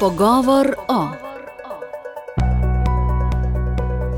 Pogovor o.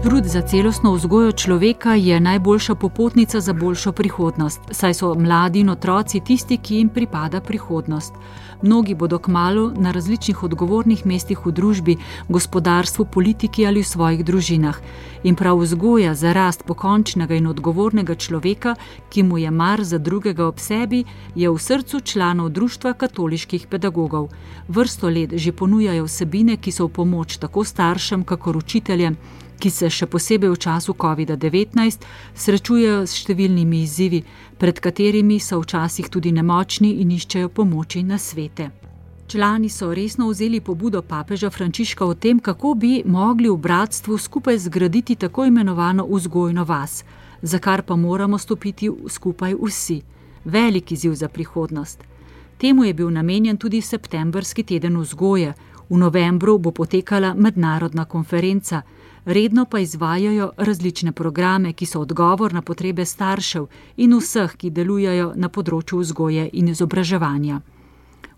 Trud za celostno vzgojo človeka je najboljša popotnica za boljšo prihodnost, saj so mladi in otroci tisti, ki jim pripada prihodnost. Mnogi bodo kmalu na različnih odgovornih mestih v družbi, gospodarstvu, politiki ali v svojih družinah. In prav vzgoja za rast pokončnega in odgovornega človeka, ki mu je mar za drugega ob sebi, je v srcu članov Društva katoliških pedagogov. Vrsto let že ponujajo vsebine, ki so v pomoč tako staršem, kakor učiteljem, ki se še posebej v času COVID-19 srečujejo s številnimi izzivi, pred katerimi so včasih tudi nemočni in iščejo pomoči na svete. Člani so resno vzeli pobudo papeža Frančiška o tem, kako bi mogli v bratstvu skupaj zgraditi tako imenovano vzgojno vas, za kar pa moramo stopiti skupaj vsi. Velik izziv za prihodnost. Temu je bil namenjen tudi septembrski teden vzgoje. V novembru bo potekala mednarodna konferenca, redno pa izvajajo različne programe, ki so odgovor na potrebe staršev in vseh, ki delujejo na področju vzgoje in izobraževanja.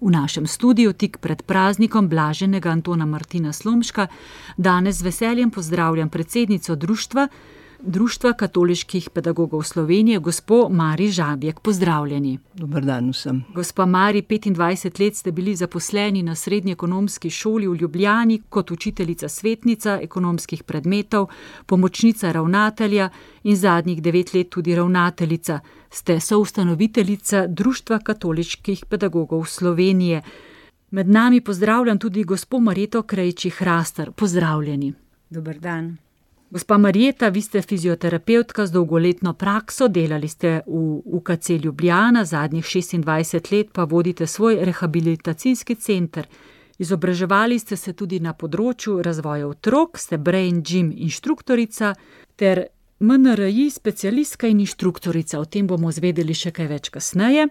V našem studiu tik pred praznikom blaženega Antona Martina Slomška danes z veseljem pozdravljam predsednico Društva katoliških pedagogov Slovenije, gospo Mari Žabjek. Pozdravljeni. Dober dan vsem. Gospa Mari, 25 let ste bili zaposleni na Srednji ekonomski šoli v Ljubljani kot učiteljica svetnica ekonomskih predmetov, pomočnica ravnatelja in zadnjih 9 let tudi ravnateljica. Ste soustanoviteljica Društva katoliških pedagogov Slovenije. Med nami pozdravljam tudi gospo Marjeto Krejči-Hrastar. Pozdravljeni. Dober dan. Gospa Marjeta, vi ste fizioterapevtka z dolgoletno prakso, delali ste v UKC Ljubljana, zadnjih 26 let pa vodite svoj rehabilitacijski center. Izobraževali ste se tudi na področju razvoja otrok, ste brain gym inštruktorica ter MNRI specialistka in inštruktorica. O tem bomo zvedeli še kaj več kasneje.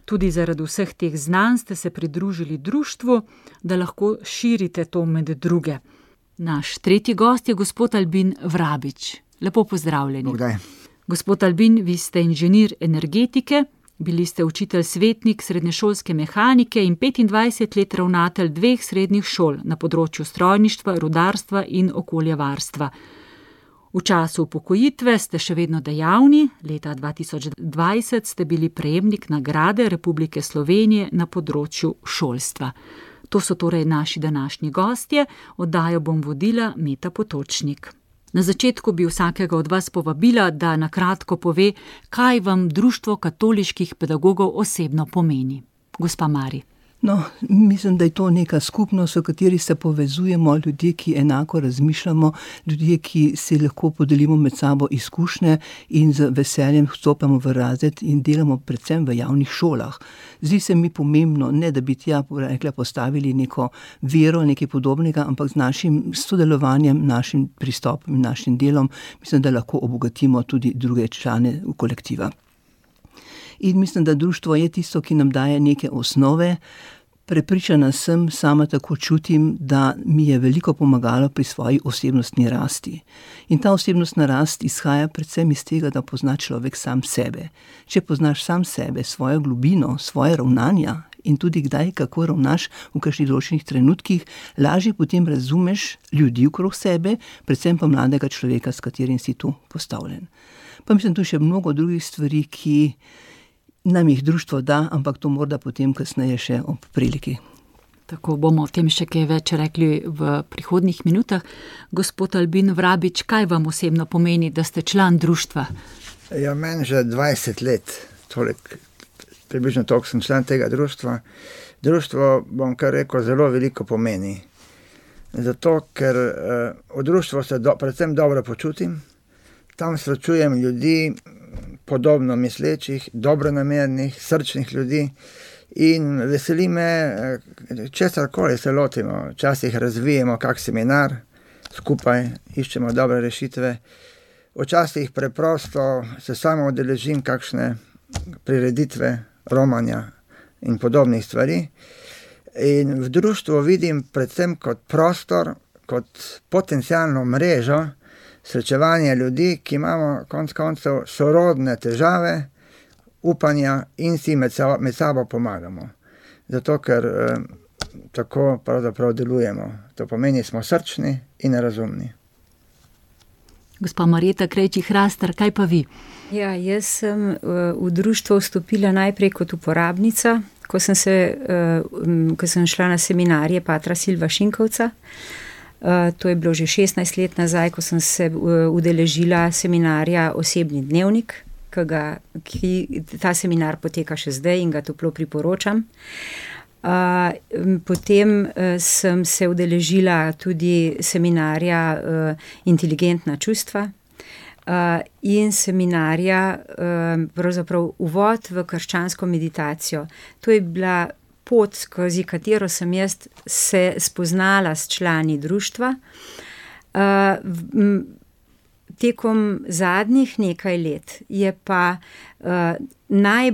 Tudi zaradi vseh teh znanj ste se pridružili društvu, da lahko širite to med druge. Naš tretji gost je gospod Albin Vrabič. Lepo pozdravljeni. Bogdaj. Gospod Albin, vi ste inženir energetike, bili ste učitelj svetnik srednješolske mehanike in 25 let ravnatelj 2 srednjih šol na področju strojništva, rudarstva in okoljevarstva. V času upokojitve ste še vedno dejavni, leta 2020 ste bili prejemnik nagrade Republike Slovenije na področju šolstva. To so torej naši današnji gostje, oddajo bom vodila Meta Potočnik. Na začetku bi vsakega od vas povabila, da na kratko pove, kaj vam Društvo katoliških pedagogov osebno pomeni. Gospa Mari. No, mislim, da je to neka skupnost, v kateri se povezujemo, ljudje, ki enako razmišljamo, ljudje, ki si lahko podelimo med sabo izkušnje in z veseljem vstopamo v razred in delamo predvsem v javnih šolah. Zdi se mi pomembno, ne da bi tja postavili neko vero, nekaj podobnega, ampak z našim sodelovanjem, našim pristopom in našim delom, mislim, da lahko obogatimo tudi druge člane kolektiva. In mislim, da društvo je tisto, ki nam daje neke osnove. Prepričana sem, sama tako čutim, da mi je veliko pomagalo pri svoji osebnostni rasti. In ta osebnostna rast izhaja predvsem iz tega, da pozna človek sam sebe. Če poznaš sam sebe, svojo globino, svoje ravnanja in tudi kdaj, kako ravnaš v kakšnih določenih trenutkih, lažje potem razumeš ljudi okrog sebe, predvsem pa mladega človeka, s katerim si tu postavljen. Pa mislim, tu še mnogo drugih stvari, ki nam jih društvo da, ampak to morda potem kasneje še ob priliki. Tako bomo o tem še kaj več rekli v prihodnjih minutah. Gospod Albin Vrabič, kaj vam osebno pomeni, da ste član društva? Ja, meni že 20 let, približno toliko sem član tega društva. Društvo, bom kar rekel, zelo veliko pomeni. Zato, ker v društvu se predvsem dobro počutim, tam srečujem ljudi, podobno mislečih, dobronamernih, srčnih ljudi in veseli me, česarkoli se lotimo. Včasih razvijemo kak seminar, skupaj iščemo dobre rešitve. Včasih preprosto se samo udeležim kakšne prireditve, romanja in podobnih stvari. In v društvu vidim predvsem kot prostor, kot potencialno mrežo, srečevanje ljudi, ki imamo konec koncev sorodne težave, upanja in si med sabo pomagamo. Zato, ker tako pravzaprav delujemo. To pomeni, smo srčni in razumni. Gospa Marjeta Krejčih-Hrastar, kaj pa vi? Ja, jaz sem v društvo vstopila najprej kot uporabnica, ko sem šla na seminarje patra Silva Šinkovca. To je bilo že 16 let nazaj, ko sem se udeležila seminarja Osebni dnevnik, ta seminar poteka še zdaj in ga toplo priporočam. Potem sem se udeležila tudi seminarja Inteligentna čustva in seminarja pravzaprav uvod v krščansko meditacijo. To je bila pot, skozi katero sem jaz se spoznala s člani društva. Tekom zadnjih nekaj let je pa nekaj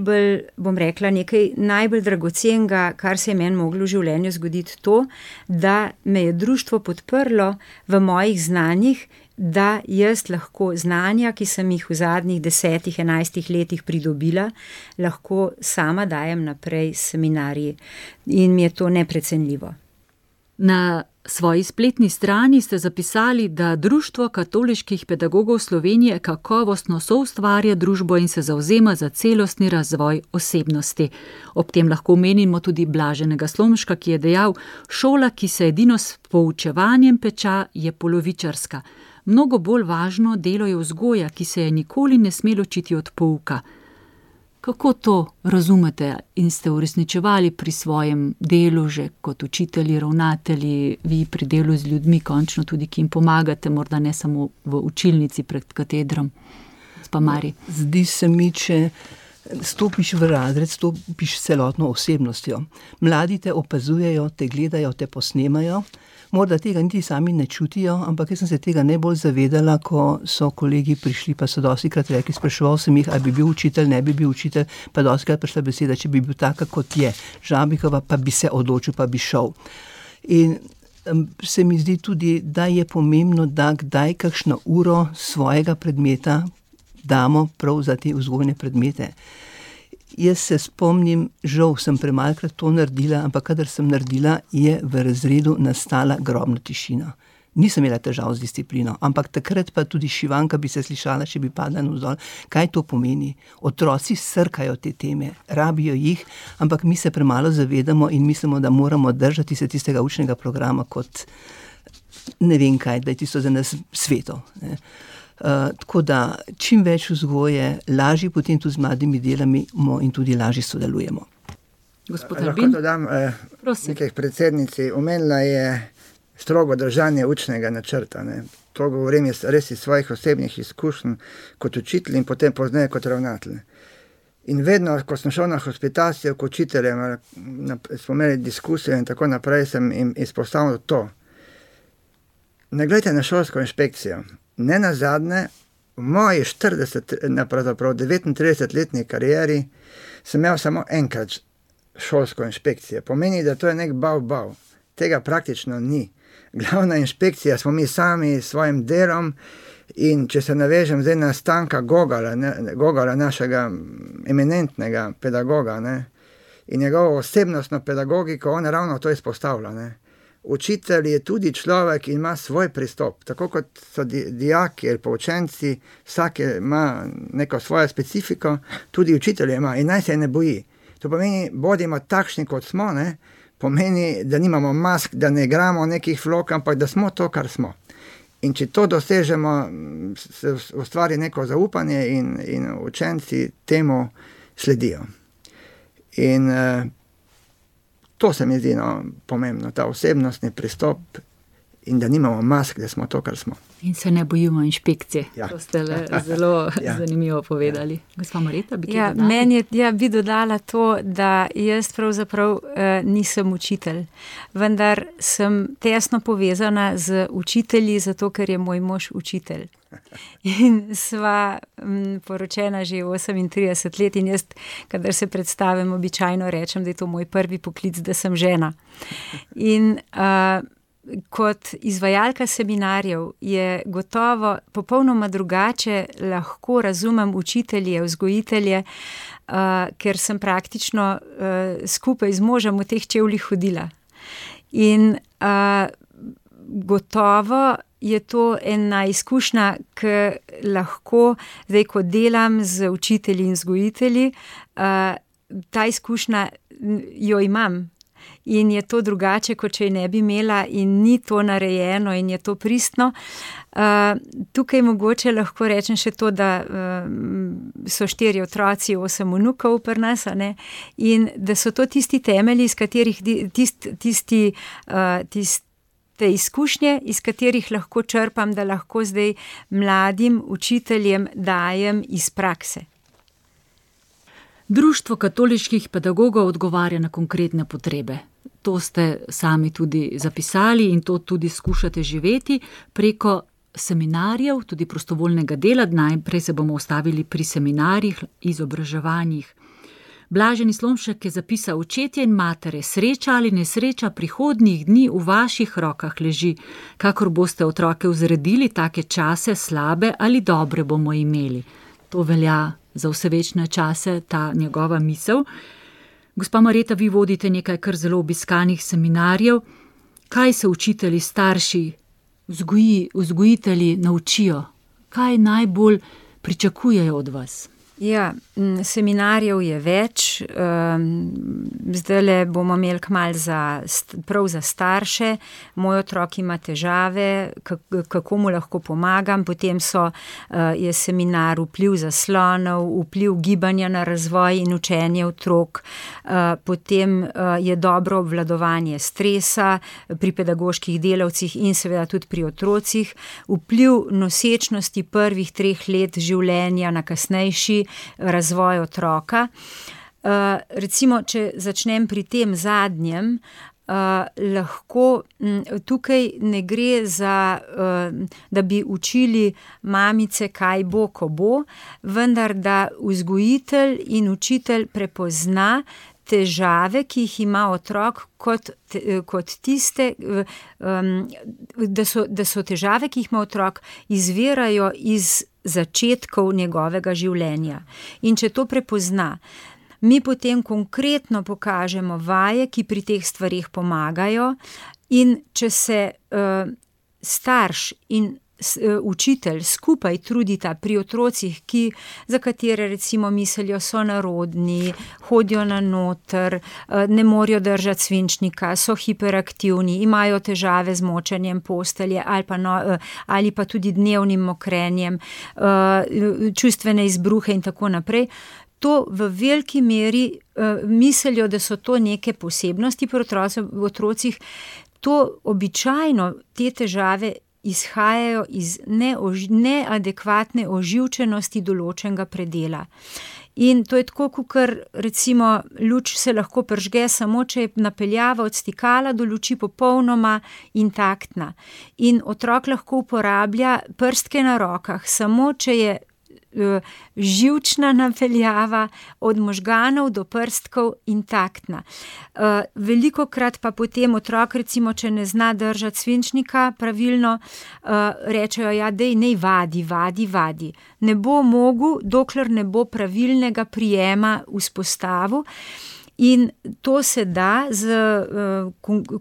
najbolj dragocenega, kar se je meni moglo v življenju zgoditi, to, da me je društvo podprlo v mojih znanjih, da jaz lahko znanja, ki sem jih v zadnjih 10-11 letih pridobila, lahko sama dajem naprej seminarji. In mi je to neprecenljivo. Na svoji spletni strani ste zapisali, da Društvo katoliških pedagogov Slovenije kakovostno soustvarja družbo in se zavzema za celostni razvoj osebnosti. Ob tem lahko omenimo tudi Blaženega Slomška, ki je dejal: šola, ki se edino s poučevanjem peča, je polovičarska. Mnogo bolj važno delo je vzgoja, ki se je nikoli ne sme ločiti od pouka. Kako to razumete in ste uresničevali pri svojem delu že kot učitelji, ravnatelji, vi pri delu z ljudmi, končno tudi, ki jim pomagate, morda ne samo v učilnici pred katedrom? Gospa Mari. Zdi se mi, če stopiš v razred, stopiš s celotno osebnostjo. Mladi te opazujejo, te gledajo, te posnemajo. Morda tega niti sami ne čutijo, ampak jaz sem se tega najbolj zavedala, ko so kolegi prišli, pa so dostikrat rekli, spraševal sem jih, ali bi bil učitelj, ne bi bil učitelj, pa dostikrat prišla beseda, če bi bil taka, kot je Žabikova, pa bi se odločil, pa bi šel. In se mi zdi tudi, da je pomembno, da kdaj kakšno uro svojega predmeta damo prav za te vzgojne predmete. Jaz se spomnim, žal sem premalkrat to naredila, ampak kadar sem naredila, je v razredu nastala grobna tišina. Nisem imela težav z disciplino, ampak takrat pa tudi šivanka bi se slišala, če bi padla navzdol. Kaj to pomeni? Otroci srkajo te teme, rabijo jih, ampak mi se premalo zavedamo in mislimo, da moramo držati se tistega učnega programa kot ne vem kaj, da je tisto za nas sveto, ne. Tako da čim več vzgoje, lažje potem tudi z mladimi delamo in tudi lažje sodelujemo. Gospod Albin, lahko dodam nekaj predsednici. Omenila je strogo držanje učnega načrta. Ne. To govorim res iz svojih osebnih izkušenj kot učitelj in potem pozneje kot ravnatelj. In vedno, ko sem šel na hospitacijo k učiteljem, smo imeli diskusijo in tako naprej, sem jim izpostavil to. Ne gledajte na šolsko inšpekcijo. Ne nazadnje, v moji 39-letni karieri sem imel samo enkrat šolsko inšpekcijo. Pomeni, da to je nek bav. Tega praktično ni. Glavna inšpekcija smo mi sami s svojim delom in če se navežem zdaj na Stanka Gogala, našega eminentnega pedagoga, ne, in njegovo osebnostno pedagogiko, on ravno to izpostavlja, ne. Učitelj je tudi človek in ima svoj pristop, tako kot so dijaki ali pa učenci, vsak ima neko svojo specifiko, tudi učitelj ima in naj se ne boji. To pomeni, bodimo takšni, kot smo, ne? Pomeni, da nimamo mask, da ne igramo nekih vlog, ampak da smo to, kar smo. In če to dosežemo, se ustvari neko zaupanje in učenci temu sledijo. In to se mi zdi pomembno, ta osebnostni pristop in da nimamo mask, da smo to, kar smo. In se ne bojimo inšpekcije. Ja. To ste zelo zanimivo povedali. Gospa Marjeta, bi kaj dodala? Meni bi dodala to, da jaz pravzaprav nisem učitelj, vendar sem tesno povezana z učitelji, zato ker je moj mož učitelj. In sva poročena že 38 let in jaz, kadar se predstavim, običajno rečem, da je to moj prvi poklic, da sem žena. In kot izvajalka seminarjev je gotovo popolnoma drugače lahko razumem učitelje, vzgojitelje, ker sem praktično skupaj z možem v teh čevljih hodila. In gotovo je to ena izkušnja, ki lahko, zdaj ko delam z učitelji in vzgojitelji, ta izkušnja jo imam. In je to drugače, kot če je ne bi imela in ni to narejeno in je to pristno. Tukaj mogoče lahko rečem še to, da so 4 otroci, 8 vnukov pri nas, a ne? In da so to tisti temelji, iz katerih te izkušnje, iz katerih lahko črpam, da lahko zdaj mladim učiteljem dajem iz prakse. Društvo katoliških pedagogov odgovarja na konkretne potrebe. To ste sami tudi zapisali in to tudi skušate živeti preko seminarjev, tudi prostovoljnega dela. Najprej se bomo ustavili pri seminarjih, izobraževanjih. Blaženi Slomšek je zapisal: očetje in matere, sreča ali nesreča prihodnjih dni v vaših rokah leži. Kakor boste otroke vzredili, take čase, slabe ali dobre bomo imeli. To velja za vse večne čase, ta njegova misel. Gospa Marjeta, vi vodite nekaj kar zelo obiskanih seminarjev. Kaj se učitelji, starši, vzgojitelji naučijo? Kaj najbolj pričakujejo od vas? Ja, seminarjev je več, zdajle bomo imeli kmalu prav za starše, moj otrok ima težave, kako mu lahko pomagam, potem je seminar vpliv zaslonov, vpliv gibanja na razvoj in učenje otrok, potem je dobro obvladovanje stresa pri pedagoških delavcih in seveda tudi pri otrocih, vpliv nosečnosti prvih 3 let življenja na kasnejši razvoj otroka. Recimo, če začnem pri tem zadnjem, lahko tukaj ne gre za, da bi učili mamice, kaj bo, ko bo, vendar da vzgojitelj in učitelj prepozna težave, ki jih ima otrok, kot tiste, da so težave, ki jih ima otrok, izvirajo iz začetkov njegovega življenja. In če to prepozna, mi potem konkretno pokažemo vaje, ki pri teh stvarih pomagajo, in če se starš in učitelj skupaj trudita pri otrocih, za katere recimo mislijo so narodni, hodijo na noter, ne morejo držati svinčnika, so hiperaktivni, imajo težave z močenjem postelje ali pa tudi dnevnim mokrenjem, čustvene izbruhe in tako naprej. To v veliki meri mislijo, da so to neke posebnosti pri otrocih. To običajno te težave izhajajo iz neadekvatne oživčenosti določenega predela. In to je tako, kakor recimo luč se lahko prižge samo, če je napeljava od stikala do luči popolnoma intaktna. In otrok lahko uporablja prstke na rokah, samo če je živčna napeljava od možganov do prstkov intaktna. Velikokrat pa potem otrok, recimo, če ne zna držati svinčnika pravilno, rečejo, ja, dej, nej vadi. Ne bo mogel, dokler ne bo pravilnega prijema vzpostavil. In to se da z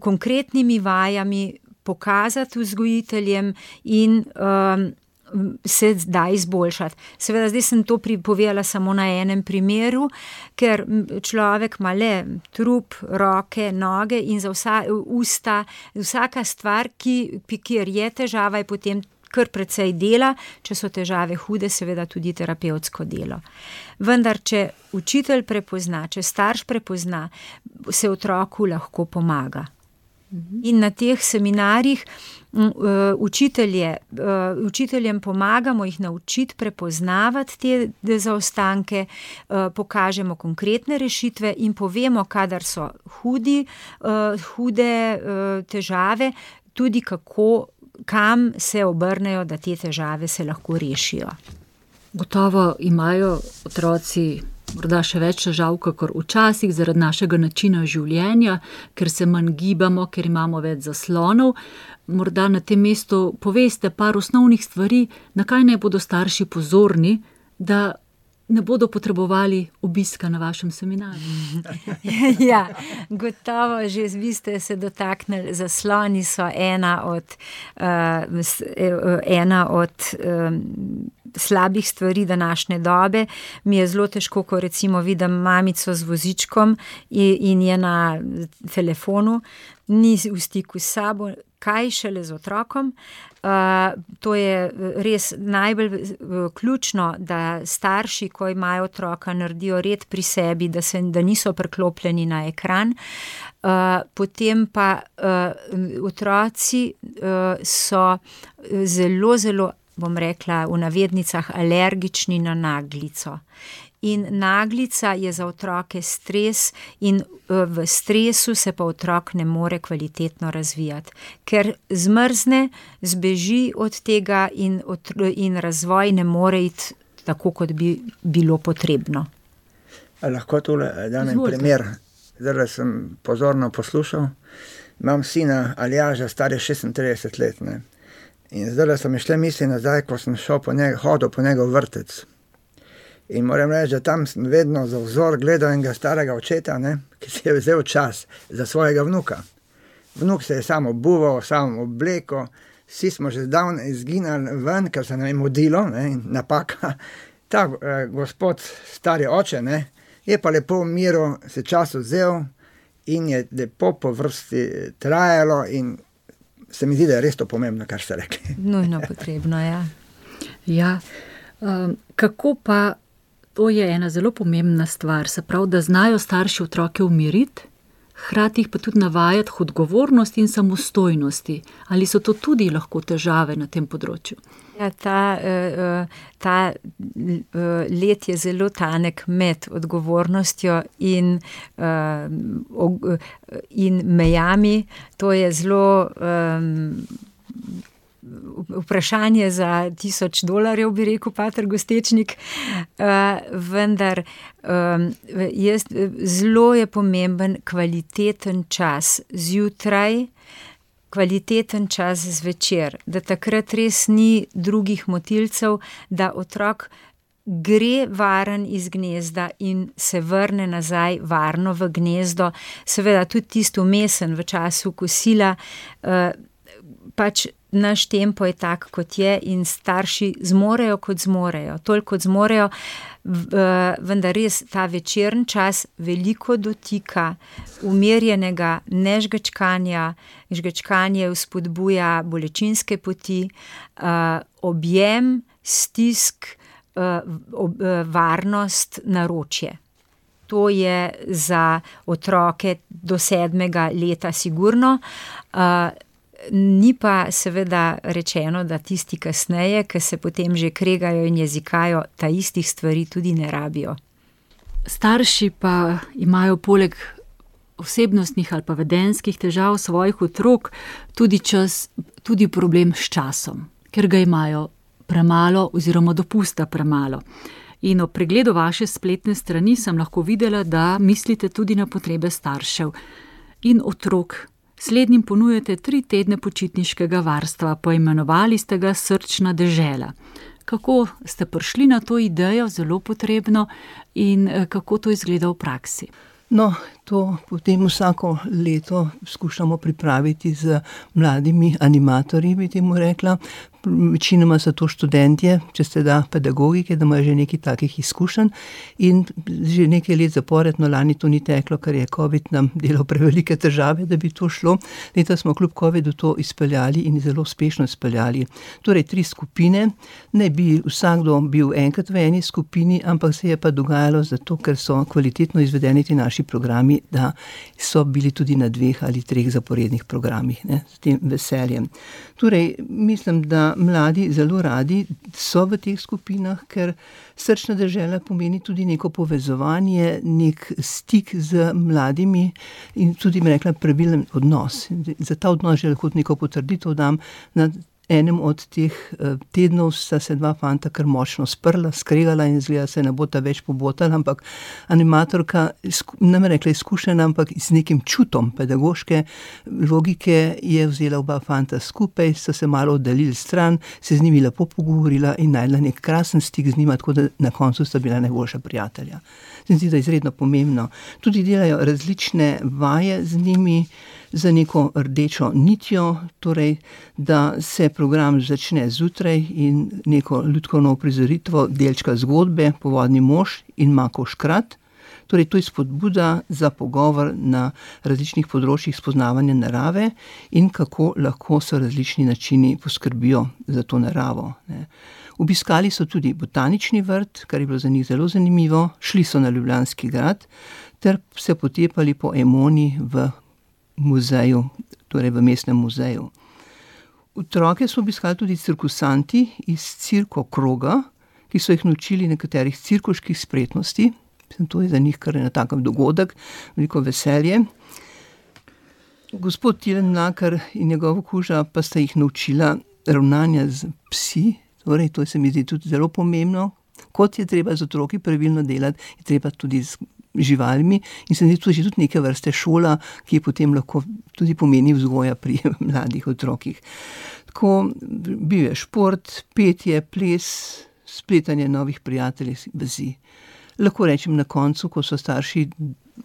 konkretnimi vajami pokazati vzgojiteljem in se da izboljšati. Seveda, zdaj sem to povedala samo na enem primeru, ker človek ima le trup, roke, noge in za usta, vsaka stvar, kjer je težava, je potem kar precej dela, če so težave hude, seveda tudi terapevtsko delo. Vendar, če učitelj prepozna, če starš prepozna, se otroku lahko pomaga. In na teh seminarjih učiteljem pomagamo jih naučiti prepoznavati te zaostanke, pokažemo konkretne rešitve in povemo, kadar so hude težave, tudi kam se obrnejo, da te težave se lahko rešijo. Gotovo imajo otroci morda še več težav, kakor včasih zaradi našega načina življenja, ker se manj gibamo, ker imamo več zaslonov. Morda na tem mestu poveste par osnovnih stvari, na kaj naj bodo starši pozorni, da ne bodo potrebovali obiska na vašem seminarju. Ja, gotovo, že vi ste se dotaknili, zasloni so ena od slabih stvari današnje dobe. Mi je zelo težko, ko recimo vidim mamico z vozičkom in je na telefonu, ni v stiku s sabo, kaj šele z otrokom. To je res najbolj ključno, da starši, ko imajo otroka, naredijo red pri sebi, da niso priklopljeni na ekran. Potem pa otroci so zelo, zelo, bom rekla, v navednicah alergični na naglico. In naglica je za otroke stres in v stresu se pa otrok ne more kvalitetno razvijati, ker zmrzne, zbeži od tega in razvoj ne more iti tako, kot bi bilo potrebno. Lahko tole dam en primer. Zdaj sem pozorno poslušal. Imam sina Aljaža, star je 36 let. Ne? In zdaj so mi šle misli nazaj, ko sem hodil po njegov vrtec. In moram reči, da tam sem vedno za vzor gledal enega starega očeta, ne, ki si je vzel čas za svojega vnuka. Vnuk se je sam obuval, sam obleko, vsi smo že zdavno izginali ven, ker se nam je mudilo, ne, in napaka. Ta gospod, stari oče, ne, je pa lepo v miru se čas vzel in je lepo po vrsti trajalo in se mi zdi, da je res to pomembno, kar ste rekli. Nujno potrebno, ja. Ja, kako pa, to je ena zelo pomembna stvar, se pravi, da znajo starši otroke umiriti, hkrati jih pa tudi navajati k odgovornosti in samostojnosti. Ali so to tudi lahko težave na tem področju? Ja, ta led je zelo tanek med odgovornostjo in mejami. To je zelo vprašanje za $1000, bi rekel pater Gostečnik, vendar zelo je pomemben kvaliteten čas zjutraj, kvaliteten čas zvečer, da takrat res ni drugih motilcev, da otrok gre varen iz gnezda in se vrne nazaj varno v gnezdo. Seveda tudi tisto vmesen v času kosila, pač naš tempo je tak, kot je in starši zmorejo, kot zmorejo, toliko kot zmorejo, vendar res ta večerni čas veliko dotika, umirjenega nežgečkanja, žgečkanje vzpodbuja bolečinske poti, objem, stisk, varnost, naročje. To je za otroke do 7. leta sigurno. Ni pa seveda rečeno, da tisti kasneje, ki se potem že kregajo in jezikajo, ta istih stvari tudi ne rabijo. Starši pa imajo poleg osebnostnih ali pa vedenjskih težav svojih otrok tudi problem s časom, ker ga imajo premalo oziroma dopusta premalo. In ob pregledu vaše spletne strani sem lahko videla, da mislite tudi na potrebe staršev in otrok. Slednjim ponujate 3 tedne počitniškega varstva, poimenovali ste ga Srčna dežela. Kako ste prišli na to idejo, zelo potrebno, in kako to izgleda v praksi? No, to potem vsako leto skušamo pripraviti z mladimi animatorji, bi temu rekla. Večinoma so to študentje, če se da pedagogike, da imajo že nekaj takih izkušenj in že nekaj let zapored, no lani to ni teklo, ker je COVID nam delal prevelike težave, da bi to šlo. Leta smo kljub COVIDu to izpeljali in zelo uspešno izpeljali. Torej 3 skupine, ne bi vsakdo bil enkrat v eni skupini, ampak se je pa dogajalo zato, ker so kvalitetno izvedeni ti naši programi, da so bili tudi na 2 ali 3 zaporednih programih, ne, s tem veseljem. Torej, mislim, da mladi zelo radi so v teh skupinah, ker Srčna dežela pomeni tudi neko povezovanje, nek stik z mladimi in tudi, bi rekla, pravilen odnos. Za ta odnos že lahko neko potrditev dam. Na enem od teh tednov sta se dva fanta kar močno sprla, skregala in izgleda se ne bota več pobotala, ampak animatorka, ne me rekla izkušena, ampak z nekim čutom pedagoške logike je vzela oba fanta skupaj, sta se malo oddaljili stran, se z njimi lepo pogovorila in najdla nek krasen stik z njima, tako da na koncu sta bila najboljša prijatelja. Se mi zdi, da je izredno pomembno. Tudi delajo različne vaje z njimi, za neko rdečo nitjo, torej, da se program začne zjutraj in neko lutkovno uprizoritvo delčka zgodbe Povodni mož in Makov škrat. Torej, to je spodbuda za pogovor na različnih področjih spoznavanja narave in kako lahko so različni načini poskrbijo za to naravo, ne. Obiskali so tudi botanični vrt, kar je bilo za njih zelo zanimivo, šli so na Ljubljanski grad ter se potepali po Emoni v muzeju, torej v mestnem muzeju. Otroke so obiskali tudi cirkusanti iz Cirko Kroga, ki so jih naučili nekaterih cirkuških spretnosti. To je za njih kar en takem dogodek, veliko veselje. Gospod Tilen Mlakar in njegova kuža pa sta jih naučila ravnanja z psi, torej to se mi zdi tudi zelo pomembno. Kot je treba z otroki pravilno delati, je treba tudi z živalmi in se mi zdi tudi neke vrste šola, ki je potem lahko tudi pomeni vzgoja pri mladih otrokih. Tako bil je šport, petje, ples, spletanje novih prijateljev, vezi. Lahko rečem na koncu, ko so starši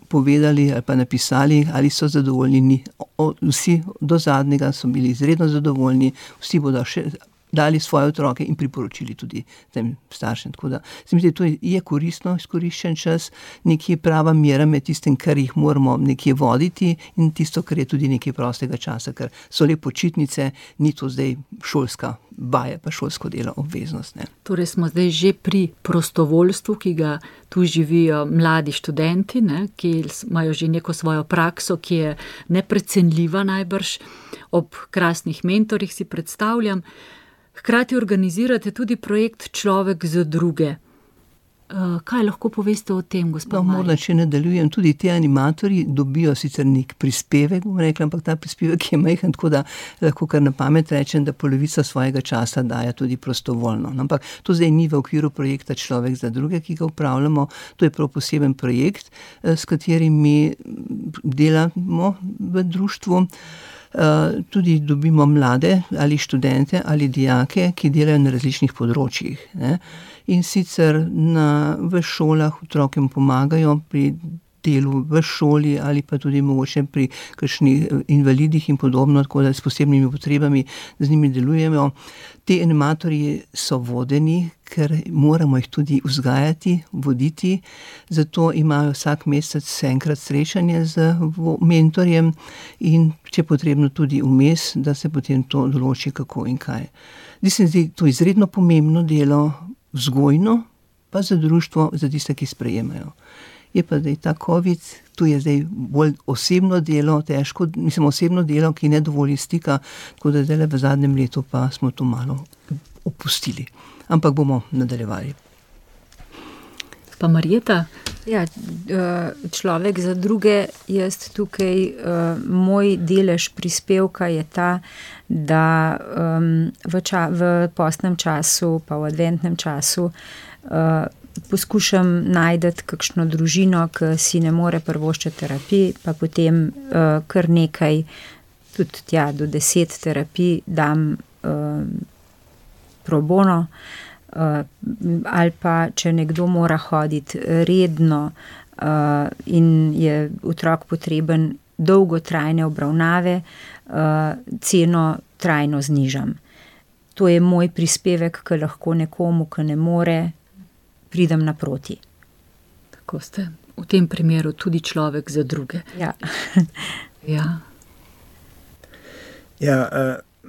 povedali ali pa napisali, ali so zadovoljni, vsi do zadnjega so bili izredno zadovoljni, vsi bodo še dali svoje otroke in priporočili tudi tem staršem. Tako da se mi zdi, to je koristno izkoriščen čas, nekje prava mera med tistim, kar jih moramo nekje voditi in tisto, kar je tudi nekaj prostega časa, ker so le počitnice, ni to zdaj šolska vaja, pa šolsko delo obveznost, ne. Torej smo zdaj že pri prostovoljstvu, ki ga tu živijo mladi študenti, ne, ki imajo že neko svojo prakso, ki je neprecenljiva najbrž, ob krasnih mentorjih si predstavljam. Hkrati organizirate tudi projekt Človek za druge. Kaj lahko poveste o tem, gospod Marič? Morda, če nadaljujem, tudi ti animatorji dobijo sicer nek prispevek, bom rekla, ampak ta prispevek je majhen, tako da lahko kar na pamet rečem, da polovica svojega časa daje tudi prostovoljno. Ampak to zdaj ni v okviru projekta Človek za druge, ki ga upravljamo, to je prav poseben projekt, s katerim mi delamo v društvu. Tudi dobimo mlade ali študente ali dijake, ki delajo na različnih področjih, ne. In sicer v šolah otrokom pomagajo pri delu v šoli ali pa tudi mogoče pri kakšnih invalidih in podobno, tako da s posebnimi potrebami z njimi delujemo. Ti animatorji so vodeni, ker moramo jih tudi vzgajati, voditi, zato imajo vsak mesec enkrat srečanje z mentorjem in če je potrebno tudi vmes, da se potem to določi, kako in kaj. Zdi se mi to izredno pomembno delo, vzgojno, pa za društvo, za tiste, ki sprejemajo. Je pa zdaj ta COVID, tu je zdaj bolj osebno delo, težko, osebno delo, ki ne dovoli stika, tako da zdaj v zadnjem letu pa smo to malo opustili. Ampak bomo nadaljevali. Pa Marjeta? Ja, Človek za druge, jaz tukaj, moj delež prispevka je ta, da v postnem času, pa v adventnem času, poskušam najti kakšno družino, ki si ne more privoščiti terapij, pa potem kar nekaj, tudi tja do 10 terapij dam pro bono, ali pa če nekdo mora hoditi redno in je otrok potreben dolgotrajne obravnave, ceno trajno znižam. To je moj prispevek, ki lahko nekomu, ki ne more, pridem naproti. Tako ste v tem primeru tudi človek za druge. Ja.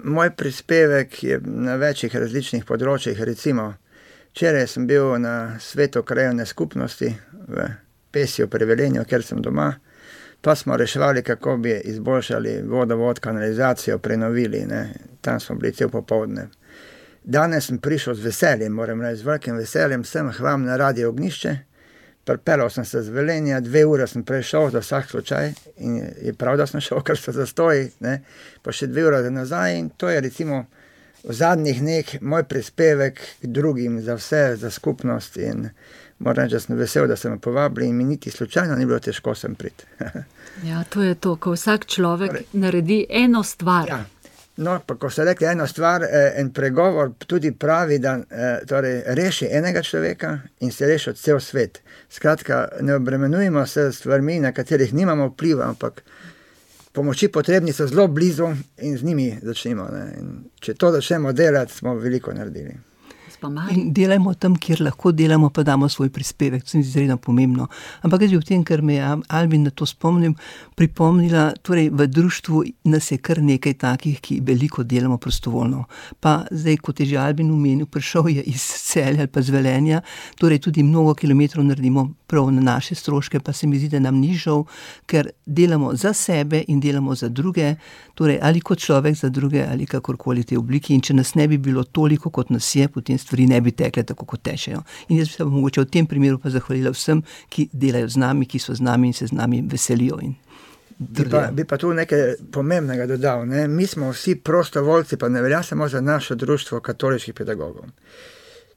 Moj prispevek je na večjih različnih področjih. Recimo, včeraj sem bil na svetu krajevne skupnosti v Pesju pri Velenju, kjer sem doma, pa smo reševali, kako bi izboljšali vodovod, kanalizacijo, prenovili, ne. Tam smo bili cel popoldne. Danes sem prišel z veseljem, moram reči, z velikim veseljem sem k vam na Radio Ognjišče, pripeljal sem se z Velenja, 2 ure sem prešel za vsak slučaj in je prav, da sem šel, ker so zastoji, ne, pa še 2 ure nazaj in to je recimo v zadnjih dneh moj prispevek k drugim, za vse, za skupnost in moram reči, da sem vesel, da sem me povabili in mi niti slučajno ni bilo težko sem priti. Ja, to je to, ko vsak človek naredi eno stvar. Ja. No, pa ko ste rekli eno stvar, en pregovor tudi pravi, da torej, reši enega človeka in se reši cel svet. Skratka, ne obremenujemo se stvarmi, na katerih nimamo vpliva, ampak pomoči potrebni so zelo blizu in z njimi začnimo. Ne? In če to začnemo delati, smo veliko naredili. In delajmo tam, kjer lahko delamo, pa damo svoj prispevek, to se mi zdi izredno pomembno. Ampak jaz bi v tem, ker me je Albin na to spomnil, pripomnila, torej v društvu nas je kar nekaj takih, ki veliko delamo prostovoljno. Pa zdaj, kot je že Albin omenil, prišel je iz Celja ali pa z Velenja, torej tudi mnogo kilometrov naredimo prav na naše stroške, pa se mi zdi, da nam ni žal, ker delamo za sebe in delamo za druge, torej ali kot človek za druge ali kakorkoli te obliki. In če nas ne bi bilo toliko, kot nas je, potem stvari ne bi tekle tako, kot tečejo. In jaz bi se mogoče v tem primeru pa zahvalila vsem, ki delajo z nami, ki so z nami in se z nami veselijo. Bi pa tu nekaj pomembnega dodal. Ne? Mi smo vsi prostovoljci, pa ne velja samo za naše društvo katoliških pedagogov.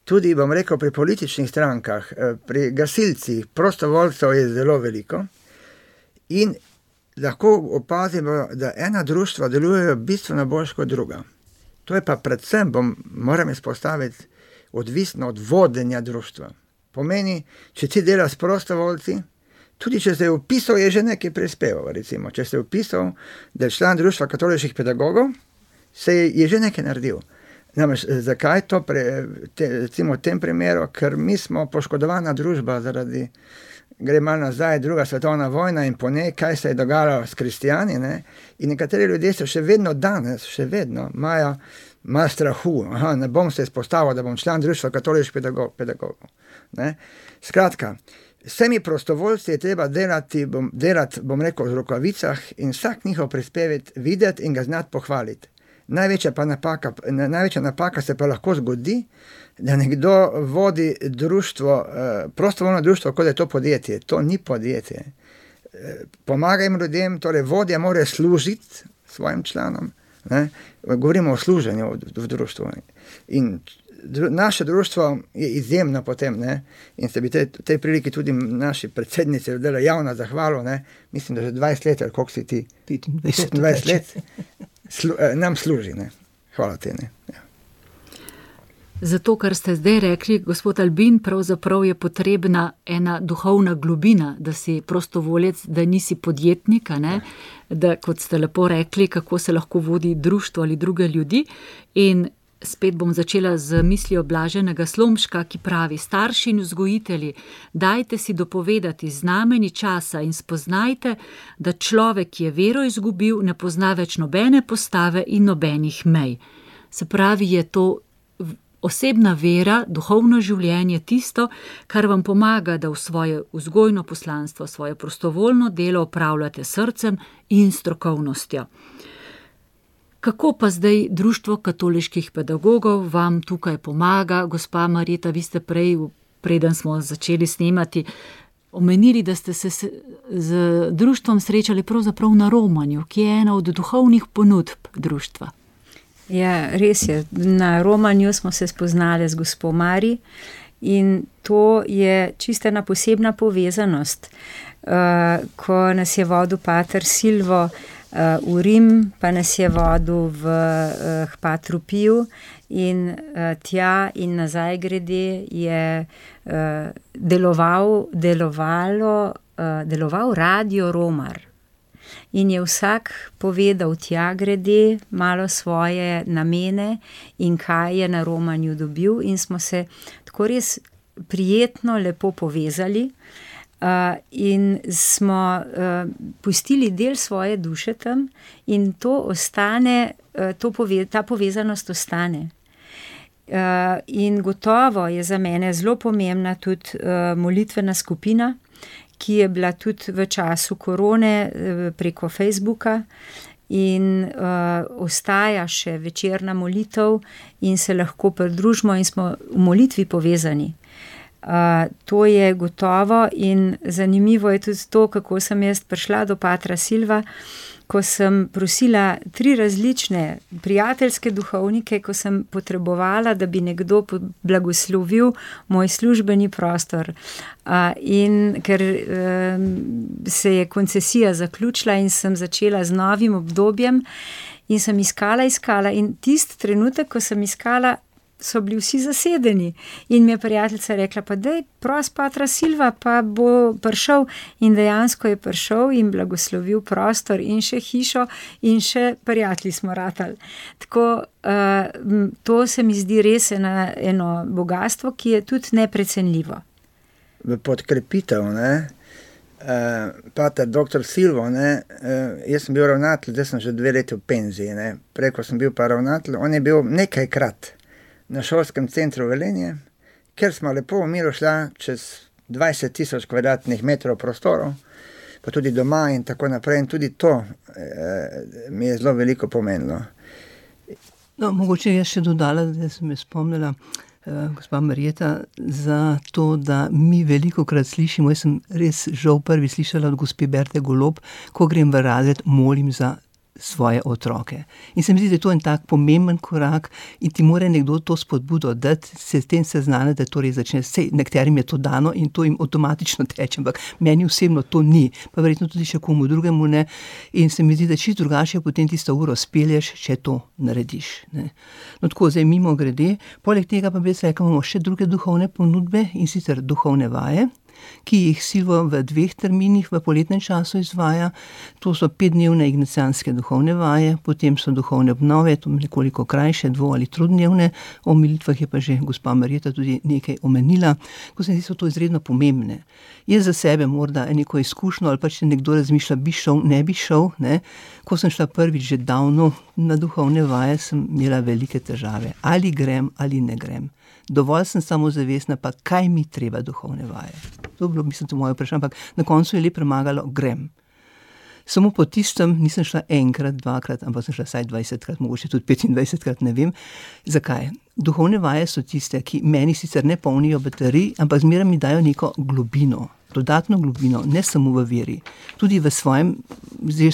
Tudi, bom rekel, pri političnih strankah, pri gasilcih, prostovoljcev je zelo veliko in lahko opazimo, da ena društva delujejo bistveno bolj kot druga. To je pa predvsem, moram izpostaviti, odvisno od vodenja društva. Pomeni, če ti delaš s prostovoljci, tudi če se je vpisal, je že nekaj prispeval. Recimo, če se je vpisal, da je član društva katoliških pedagogov, se je že nekaj naredil. Namreč, zakaj to recimo v tem primeru? Ker mi smo poškodovana družba zaradi, gre malo nazaj, druga svetovna vojna in po njej, kaj se je dogajalo s kristijani, ne? In nekateri ljudje so še vedno danes, imajo strahu. Ne bom se izpostavil, da bom član društva katoliških pedagogov. Ne? Skratka, vsemi prostovoljci je treba delati, bom rekel, v rokavicah in vsak njihov prispevek videti in ga znati pohvaliti. Največja napaka se pa lahko zgodi, da nekdo vodi društvo, prostovoljno društvo, kot je to podjetje. To ni podjetje. Pomagaj ljudem, torej vodja mora služiti svojim članom. Ne? Govorimo o služenju v društvu. In naše društvo je izjemno potem, ne? In se bi tej priliki tudi naši predsednici dala javno zahvalo, ne? Mislim, da že 20 let, ali koliko si ti? 25 let. Nam služi, ne. Hvala te, ne. Ja. Zato, kar ste zdaj rekli, gospod Albin, pravzaprav je potrebna ena duhovna globina, da si prostovoljec, da nisi podjetnik, ne? Da, kot ste lepo rekli, kako se lahko vodi društvo ali druge ljudi. In spet bom začela z mislijo Blaženega Slomška, ki pravi: starši in vzgojitelji, dajte si dopovedati znameni časa in spoznajte, da človek, ki je vero izgubil, ne pozna več nobene postave in nobenih mej. Se pravi, je to osebna vera, duhovno življenje tisto, kar vam pomaga, da v svoje vzgojno poslanstvo, svoje prostovoljno delo opravljate srcem in strokovnostjo. Kako pa zdaj Društvo katoliških pedagogov vam tukaj pomaga? Gospa Marjeta, vi ste prej, preden smo začeli snemati, omenili, da ste se z društvom srečali pravzaprav na romanju, ki je ena od duhovnih ponudb društva. Ja, res je. Na romanju smo se spoznali z gospo Mari in to je čisto ena posebna povezanost. Ko nas je vodil pater Silvo v Rim, pa nas je vodil v Patru Piju in tja in nazaj grede je deloval Radio Romar. In je vsak povedal tja grede malo svoje namene in kaj je na romanju dobil in smo se tako res prijetno lepo povezali. In smo pustili del svoje duše tam in to ostane, ta povezanost ostane. In gotovo je za mene zelo pomembna tudi molitvena skupina, ki je bila tudi v času korone preko Facebooka in ostaja še večerna molitev in se lahko pridružimo in smo v molitvi povezani. To je gotovo in zanimivo je tudi to, kako sem jaz prišla do patra Silva, ko sem prosila 3 različne prijateljske duhovnike, ko sem potrebovala, da bi nekdo blagoslovil moj službeni prostor. In ker se je koncesija zaključila in sem začela z novim obdobjem in sem iskala in tisti trenutek, ko sem iskala, so bili vsi zasedeni. In mi je prijateljica rekla, pa daj, pros patra Silva, pa bo prišel. In dejansko je prišel in blagoslovil prostor in še hišo in še prijatelji smo ratali. Tako, to se mi zdi res eno bogatstvo, ki je tudi neprecenljivo. V podkrepitev, pater dr. Silvo, jaz sem bil ravnatelj, zdaj sem že 2 leti v penziji, prej, ko sem bil pa ravnatelj, on je bil nekajkrat na šolskem centru Velenje, ker smo lepo v miru šla čez 20,000 kvadratnih metrov prostorov, pa tudi doma in tako naprej. In tudi to mi je zelo veliko pomenilo. No, mogoče jaz še dodala, da sem me spomnila, gospa Marjeta, za to, da mi velikokrat slišimo, jaz sem res žal prvi slišala od gospe Berte Golob, ko grem v razred, molim za svoje otroke. In se mi zdi, da je to en tak pomemben korak in ti mora nekdo to spodbudo dati, se s tem seznaniti, da torej začne, sej nekaterim je to dano in to jim avtomatično teče, ampak meni osebno to ni, pa verjetno tudi še komu drugemu ne. In se mi zdi, da čisto drugače potem tisto uro spelješ, če to narediš. No tako, zdaj mimo grede, poleg tega pa bi se rekla, imamo še druge duhovne ponudbe in sicer duhovne vaje, ki jih Silvo v 2 terminih v poletnem času izvaja. To so 5-dnevne ignacijanske duhovne vaje, potem so duhovne obnove, to nekoliko krajše, 2- ali 3-dnevne, o molitvah je pa že gospa Marjeta tudi nekaj omenila, ko se mi zdi, so to izredno pomembne. Jaz za sebe morda neko izkušnjo, ali pa če nekdo razmišlja, bi šel, ne bi šel, Ko sem šla prvič že davno na duhovne vaje, sem imela velike težave. Ali grem, ali ne grem. Dovolj sem samozavestna, pa kaj mi treba duhovne vaje. To je bilo, mislim, to moje vprašanje, ampak na koncu je le premagalo, grem. Samo po tistem nisem šla 1-krat, 2-krat, ampak sem šla vsaj 20-krat, mogoče tudi 25-krat, ne vem. Zakaj? Duhovne vaje so tiste, ki meni sicer ne polnijo baterij, ampak zmeraj mi dajo neko globino, dodatno globino, ne samo v veri, tudi v svojem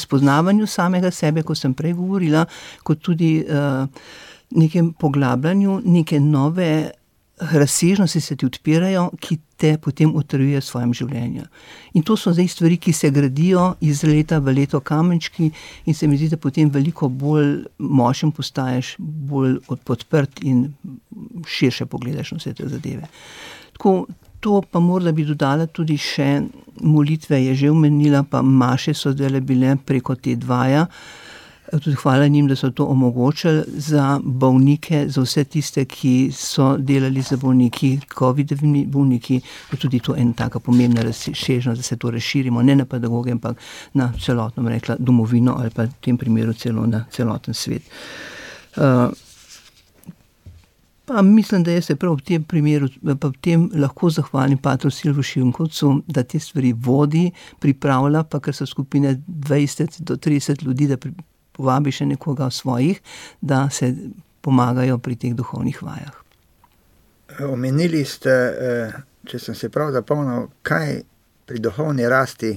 spoznavanju samega sebe, ko sem prej govorila, kot tudi nekem poglabljanju, neke nove razsežnosti se ti odpirajo, ki te potem utrjujejo v svojem življenju. In to so zdaj stvari, ki se gradijo iz leta v leto kamenčki in se mi zdi, da potem veliko bolj močen postaješ, bolj podprt in širše pogledaš na vse te zadeve. Tako, to pa morda bi dodala tudi še molitve, je že omenila, pa maše so zdaj bile preko te dvaja. Tudi hvala njim, da so to omogočili za bolnike, za vse tiste, ki so delali za bolniki, COVID-ovimi bolniki, tudi to ena taka pomembna razsežnost, da se to razširimo, ne na pedagoge, ampak na celotno, rekla, domovino ali pa v tem primeru celo na celoten svet. Pa mislim, da jaz se prav v tem primeru, pa v tem lahko zahvalim patru Silvu Šinkovcu, da te stvari vodi, pripravlja, pa ker so skupine 20 do 30 ljudi, da povabi še nekoga svojih, da se pomagajo pri teh duhovnih vajah. Omenili ste, če sem se prav zapomnil, kaj pri duhovni rasti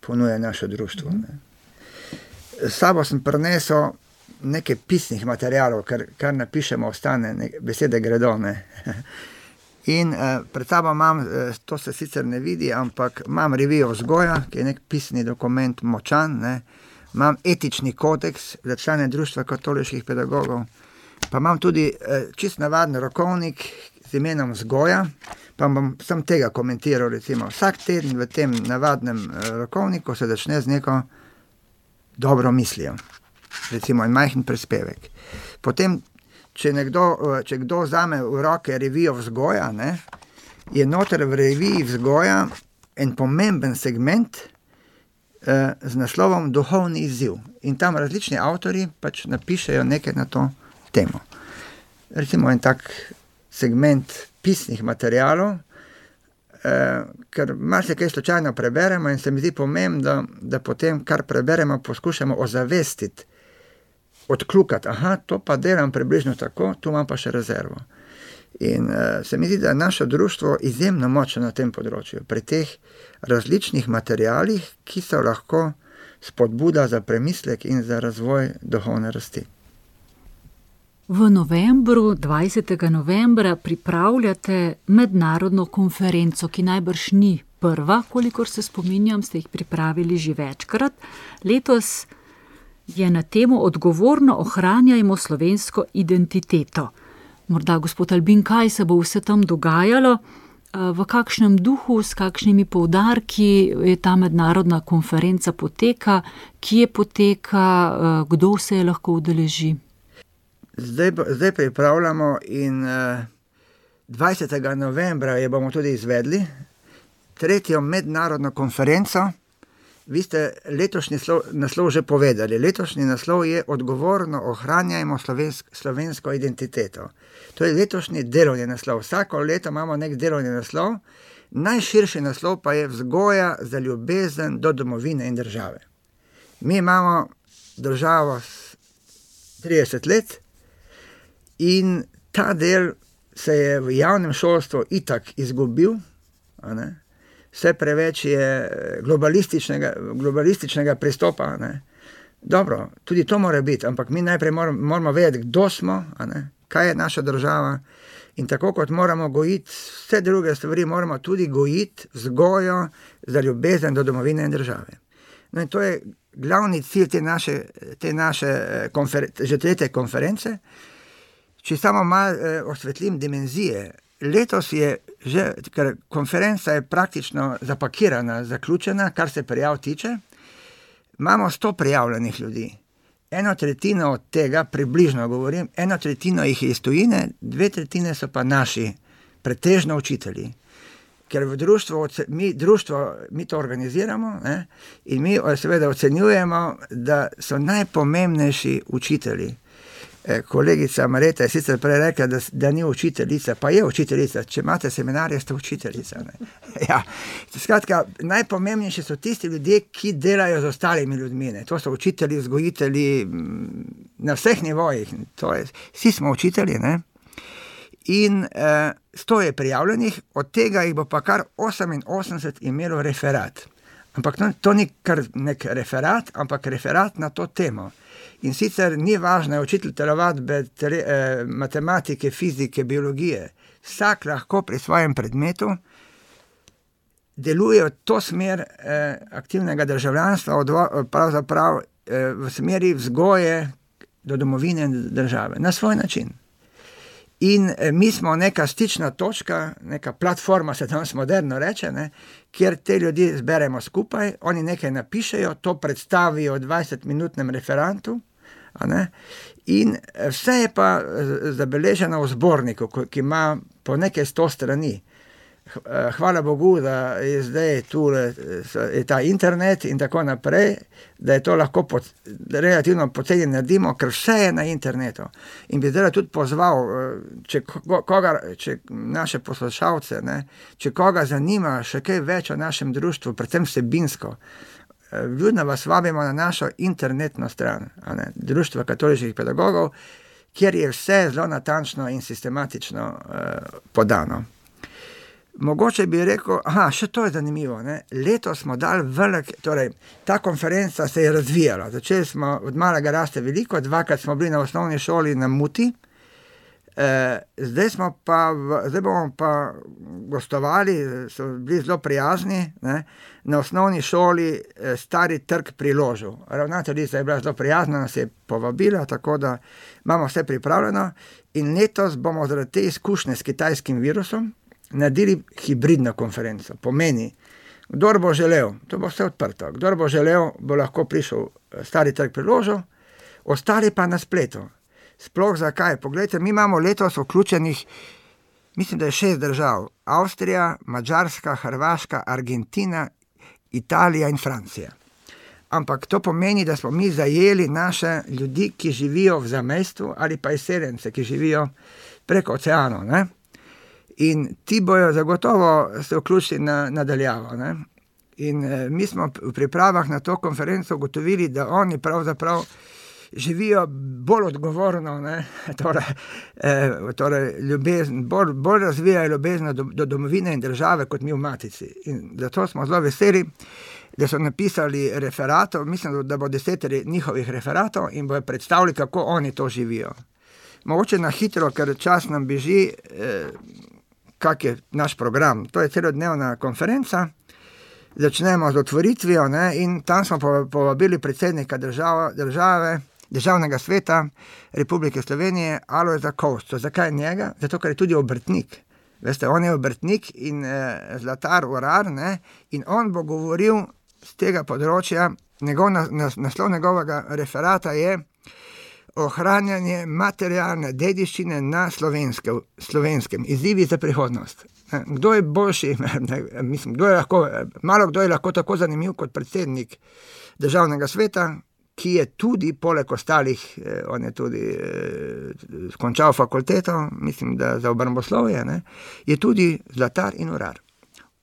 ponuja naše društvo. S sabo sem prinesel nekaj pisnih materialov, kar napišemo, ostane, besede gredo. In pred sabo imam, to se sicer ne vidi, ampak imam revijo vzgoja, ki je nek pisni dokument močan, imam etični kodeks za člane društva katoliških pedagogov, pa imam tudi čist navaden rokovnik z imenom vzgoja, pa bom sam tega komentiral, recimo, vsak teden v tem navadnem rokovniku se začne z neko dobro mislijo, recimo en majhen prispevek. Potem, če kdo vzame v roke revijo vzgoja, je noter v reviji vzgoja en pomemben segment z naslovom Duhovni izziv. In tam različni avtorji pač napišejo nekaj na to temo. Recimo en tak segment pisnih materialov, ker marsikaj slučajno preberemo in se mi zdi pomembno, da potem, kar preberemo, poskušamo ozavestiti, odkljukati, to pa delam približno tako, tu imam pa še rezervo. In se mi zdi, da je naše društvo izjemno močno na tem področju, pri teh različnih materialih, ki so lahko spodbuda za premislek in za razvoj duhovne rasti. V novembru, 20. novembra, pripravljate mednarodno konferenco, ki najbrž ni prva, kolikor se spominjam, ste jih pripravili že večkrat. Letos je na temo Odgovorno ohranjajmo slovensko identiteto. Morda, gospod Albin, kaj se bo vse tam dogajalo, v kakšnem duhu, s kakšnimi poudarki je ta mednarodna konferenca poteka, kje poteka, kdo se je lahko udeleži? Zdaj pripravljamo in 20. novembra je bomo tudi izvedli, 3. mednarodno konferenco. Vi ste letošnji naslov že povedali. Letošnji naslov je Odgovorno ohranjajmo slovensko identiteto. To je letošnji delovni naslov. Vsako leto imamo nek delovni naslov, najširši naslov pa je Vzgoja za ljubezen do domovine in države. Mi imamo državo 30 let in ta del se je v javnem šolstvu itak izgubil, a ne? Vse preveč je globalističnega pristopa. Ne? Dobro, tudi to mora biti, ampak mi najprej moramo vedeti, kdo smo, a ne? Kaj je naša država in tako kot moramo gojiti vse druge stvari, moramo tudi gojiti vzgojo za ljubezen do domovine in države. No in to je glavni cilj te naše že 3. konference. Če samo malo osvetlim dimenzije, letos je že, ker konferenca je praktično zapakirana, zaključena, kar se prijav tiče, imamo 100 prijavljenih ljudi. 1/3 od tega, približno govorim, 1/3 jih je iz tujine, 2/3 so pa naši, pretežno učitelji. Ker v društvu, mi to organiziramo, ne? In mi seveda ocenjujemo, da so najpomembnejši učitelji. Kolegica Mareta je sicer prej rekla, da ni učiteljica, pa je učiteljica. Če imate seminarje, ste učiteljica. Ne? Ja. Skratka, najpomembnejši so tisti ljudje, ki delajo z ostalimi ljudmi. Ne? To so učitelji, vzgojitelji na vseh nivojih. Vsi smo učitelji. Ne? In 100 je prijavljenih, od tega jih bo pa kar 88 imelo referat. Ampak to ni kar nek referat, ampak referat na to temo. In sicer ni važno, je učitelj telovadbe, matematike, fizike, biologije. Vsak lahko pri svojem predmetu deluje v to smer aktivnega državljanstva, pravzaprav v smeri vzgoje do domovine in države, na svoj način. In mi smo neka stična točka, neka platforma, se danes moderno reče, ne, kjer te ljudi zberemo skupaj, oni nekaj napišejo, to predstavijo v 20-minutnem referatu, a ne, in vse je pa zabeleženo v zborniku, ki ima po nekaj 100 strani. Hvala Bogu, da je zdaj tu je ta internet in tako naprej, da je to lahko relativno poceni naredimo, ker vse je na internetu. In bi zdaj tudi pozval, če naše poslušalce, ne, če koga zanima še kaj več o našem društvu, predvsem vsebinsko, vljudno vas vabimo na našo internetno stran, Društva katoliških pedagogov, kjer je vse zelo natančno in sistematično podano. Mogoče bi rekel, še to je zanimivo, ne? Letos smo dali torej ta konferenca se je razvijala, začeli smo od malega raste veliko, 2krat smo bili na osnovni šoli na Muti, zdaj bomo pa gostovali, so bili zelo prijazni, ne? Na osnovni šoli Stari trg pri Ložu. Ravnateljica je bila zelo prijazna, nas je povabila, tako da imamo vse pripravljeno in letos bomo zaradi te izkušnje s kitajskim virusom naredili hibridno konferenco. Pomeni, kdor bo želel, to bo vse odprto, kdor bo želel, bo lahko prišel Stari trg pri Ložu, ostali pa na spletu. Sploh zakaj? Poglejte, mi imamo letos vključenih, mislim, da je 6 držav. Avstrija, Madžarska, Hrvaška, Argentina, Italija in Francija. Ampak to pomeni, da smo mi zajeli naše ljudi, ki živijo v zamejstvu ali pa izseljence, ki živijo preko oceanov, ne? In ti bojo zagotovo se vključili nadaljavo. Ne? In mi smo v pripravah na to konferenco ugotovili, da oni pravzaprav živijo bolj odgovorno, torej ljubezen, bolj razvijajo ljubezen do domovine in države, kot mi v Matici. In zato smo zelo veseli, da so napisali referatov, mislim, da bo 10 njihovih referatov in bojo predstavili, kako oni to živijo. Mogoče na hitro, ker čas nam beži, kak je naš program. To je celodnevna konferenca. Začnemo z otvoritvijo, in tam smo povabili predsednika Državnega sveta Republike Slovenije, Alojza Kovšco. Zakaj njega? Zato, ker je tudi obrtnik. Veste, on je obrtnik in zlatar, urar, in on bo govoril z tega področja. Naslov njegovega referata je ohranjanje materialne dediščine na slovenskem, izzivi za prihodnost. Kdo je boljši, mislim, malo kdo je lahko tako zanimiv kot predsednik Državnega sveta, ki je tudi, poleg ostalih, on je tudi končal fakulteto, mislim, da za obramboslovje, je tudi zlatar in urar.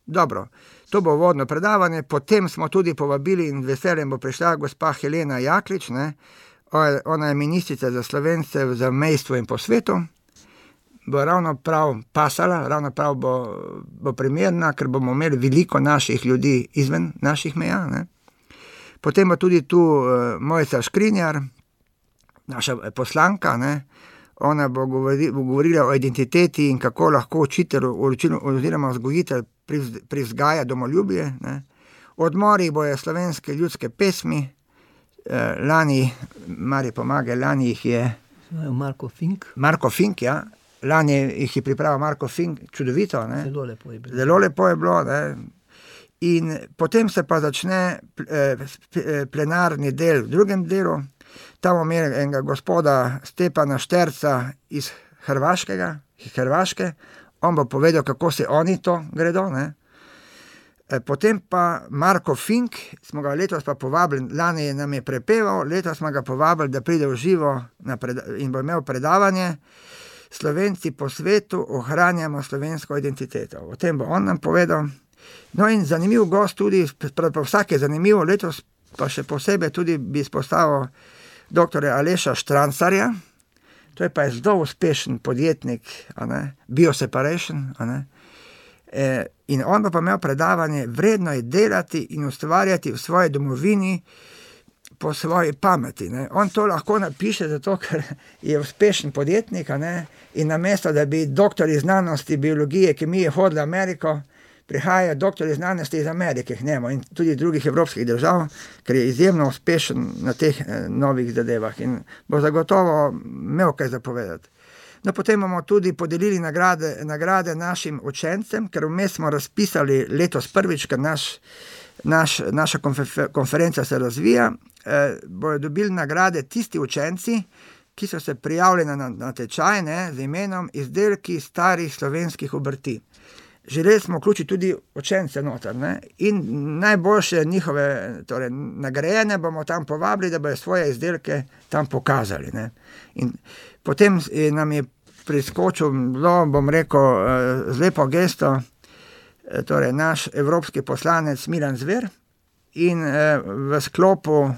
Dobro, to bo uvodno predavanje, potem smo tudi povabili in veseljem bo prišla gospa Helena Jaklič, ona je ministrica za Slovence v zamejstvu in po svetu, bo ravno prav pasala, ravno prav bo primerna, ker bomo imeli veliko naših ljudi izven naših meja. Potem bo tudi tu Mojca Škrinjar, naša poslanka, ona bo govorila o identiteti in kako lahko učitelj oziroma vzgojitelj privzgaja domoljubje. Odmori bojo slovenske ljudske pesmi, lani, Mari pomagaj, lani jih je Marko Fink, ja. Lani jih je pripravil Marko Fink, čudovito. Zelo lepo je bilo. In potem se pa začne plenarni del v drugem delu. Tam bomo imeli enega gospoda Stepana Šterca iz Hrvaške. On bo povedal, kako se oni to gredo. Potem pa Marko Fink, smo ga letos pa povabili, lani nam je prepeval, letos smo ga povabili, da pride v živo in bo imel predavanje Slovenci po svetu ohranjamo slovensko identiteto. O tem bo on nam povedal. No in zanimiv gost tudi, vsak je zanimiv, letos pa še posebej tudi bi izpostavil dr. Aleša Štrancarja, to je pa zelo uspešen podjetnik, Bioseparation, in on pa imel predavanje, vredno je delati in ustvarjati v svoji domovini po svoji pameti. On to lahko napiše, zato ker je uspešen podjetnik, in namesto, da bi doktori znanosti, biologije, kemije hodili v Ameriko, prihajajo doktori znanosti iz Amerike k njemu in tudi drugih evropskih držav, ker je izjemno uspešen na teh novih zadevah in bo zagotovo imel kaj zapovedati. No, potem bomo tudi podelili nagrade našim učencem, ker vmes smo razpisali letos prvič, ker naša konferenca se razvija, bojo dobili nagrade tisti učenci, ki so se prijavili na tečaj z imenom Izdelki starih slovenskih obrti. Želeli smo vključiti tudi učence noter, in najboljše njihove, torej nagrajene bomo tam povabili, da bojo svoje izdelke tam pokazali. In potem nam je priskočil, bom rekel, z lepo gesto, torej naš evropski poslanec Milan Zver in v sklopu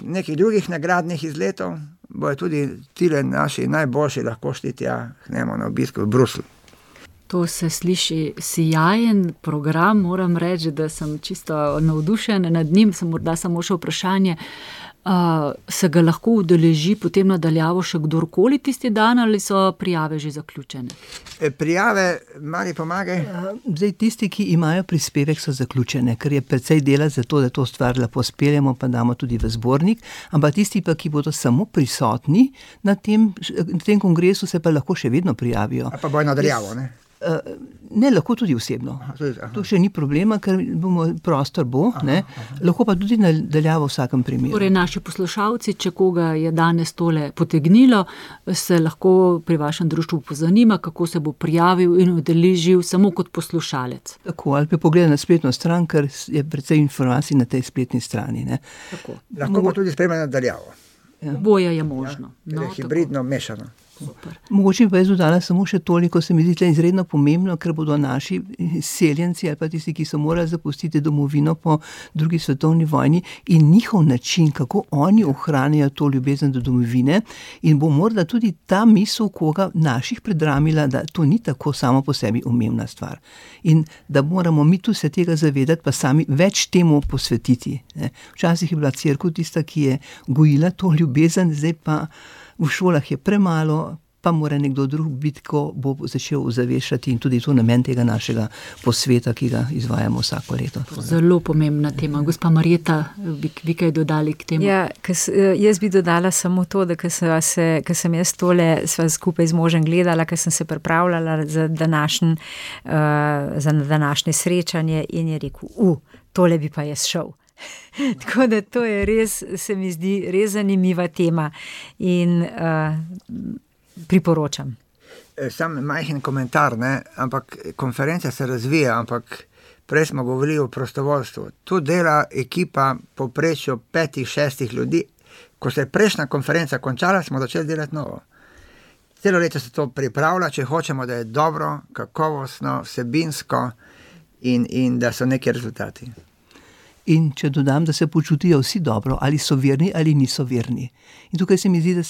nekih drugih nagradnih izletov bojo tudi tile naši najboljši lahko šli tja k njemu na obisk v Bruslju. To se sliši sijajen program, moram reči, da sem čisto navdušen nad njim, morda samo še vprašanje, se ga lahko udeleži potem nadaljavo še kdorkoli tisti dan ali so prijave že zaključene? Prijave, Mari pomagaj. Zdaj tisti, ki imajo prispevek, so zaključene, ker je precej dela za to, da to stvar lepo speljemo, pa damo tudi v zbornik, ampak tisti pa, ki bodo samo prisotni na tem kongresu, se pa lahko še vedno prijavijo. A pa bojo nadaljavo, Ne, lahko tudi osebno. To še ni problema, ker prostor bo, lahko pa tudi nadaljavo v vsakem primeru. Torej, naši poslušalci, če koga je danes tole potegnilo, se lahko pri vašem društvu pozanima, kako se bo prijavil in udeležil samo kot poslušalec. Tako, ali pa pogleda na spletno stran, ker je precej informacij na tej spletni strani. Lahko pa tudi spremlja nadaljavo. Boje je možno. Je hibridno, mešano. Super. Mogoče pa jaz dodala samo še toliko, se mi zdi izredno pomembno, ker bodo naši seljenci ali pa tisti, ki so morali zapustiti domovino po drugi svetovni vojni in njihov način, kako oni ohranjajo to ljubezen do domovine in bo morda tudi ta misel koga naših predramila, da to ni tako samo po sebi umevna stvar. In da moramo mi tu se tega zavedati, pa sami več temu posvetiti. Ne. Včasih je bila cerkev tista, ki je gojila to ljubezen, zdaj pa v šolah je premalo, pa mora nekdo drug biti, ko bo začel ozaveščati in tudi to namen tega našega posveta, ki ga izvajamo vsako leto. Zelo pomembna tema. Gospa Marjeta, bi kaj dodali k temu? Ja, jaz bi dodala samo to, da ko sem jaz tole sva skupaj z možem gledala, ko sem se pripravljala za današnje srečanje in je rekel, tole bi pa jaz šel. Tako da to je res, se mi zdi, res zanimiva tema in priporočam. Sam majhen komentar, ne? Ampak konferenca se razvija, ampak prej smo govorili o prostovoljstvu. Tu dela ekipa povprečno 5-6 ljudi. Ko se je prejšnja konferenca končala, smo začeli delati novo. Celo leto se to pripravlja, če hočemo, da je dobro, kakovostno, vsebinsko in da so neki rezultati. In če dodam, da se počutijo vsi dobro, ali so verni ali niso verni. In tukaj se mi zdi, da